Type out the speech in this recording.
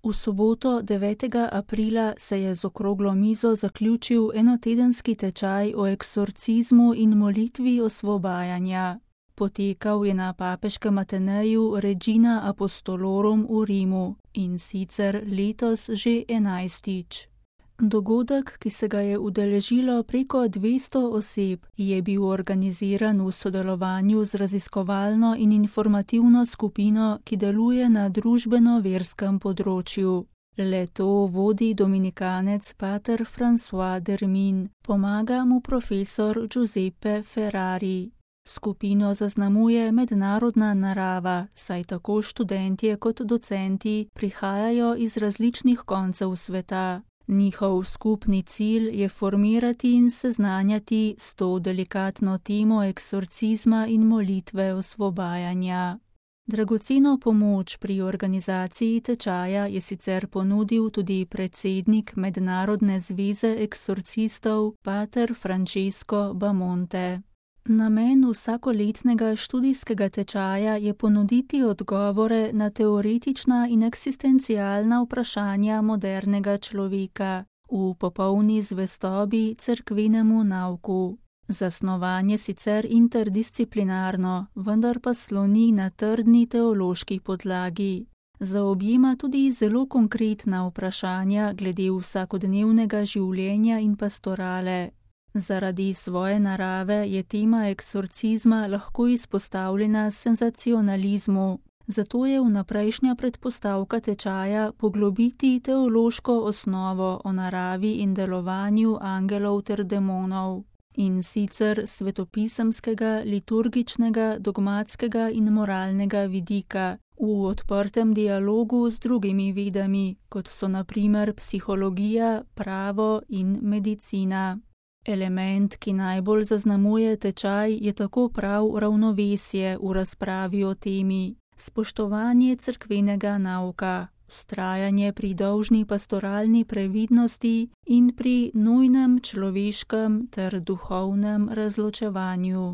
V soboto 9. aprila se je z okroglo mizo zaključil enotedenski tečaj o eksorcizmu in molitvi osvobajanja. Potekal je na papeškem Ateneju Regina Apostolorum v Rimu, in sicer letos že 11. Dogodek, ki se ga je udeležilo preko 200 oseb, je bil organiziran v sodelovanju z raziskovalno in informativno skupino, ki deluje na družbeno-verskem področju. Le-to vodi dominikanec pater François Dermin, pomaga mu profesor Giuseppe Ferrari. Skupino zaznamuje mednarodna narava, saj tako študentje kot docenti prihajajo iz različnih koncev sveta. Njihov skupni cilj je formirati in seznanjati s to delikatno temo eksorcizma in molitve osvobajanja. Dragoceno pomoč pri organizaciji tečaja je sicer ponudil tudi predsednik Mednarodne zveze eksorcistov pater Francesco Bamonte. Namen vsakoletnega študijskega tečaja je ponuditi odgovore na teoretična in eksistencialna vprašanja modernega človeka v popolni zvestobi cerkvenemu nauku. Zasnovanje sicer interdisciplinarno, vendar pa sloni na trdni teološki podlagi. Zaobjema tudi zelo konkretna vprašanja glede vsakodnevnega življenja in pastorale. Zaradi svoje narave je tema eksorcizma lahko izpostavljena senzacionalizmu, zato je vnaprejšnja predpostavka tečaja poglobiti teološko osnovo o naravi in delovanju angelov ter demonov, in sicer svetopisemskega, liturgičnega, dogmatskega in moralnega vidika, v odprtem dialogu z drugimi vedami, kot so na primer psihologija, pravo in medicina. Element, ki najbolj zaznamuje tečaj, je tako prav ravnovesje v razpravi o temi, spoštovanje cerkvenega nauka, vztrajanje pri dolžni pastoralni previdnosti in pri nujnem človeškem ter duhovnem razločevanju.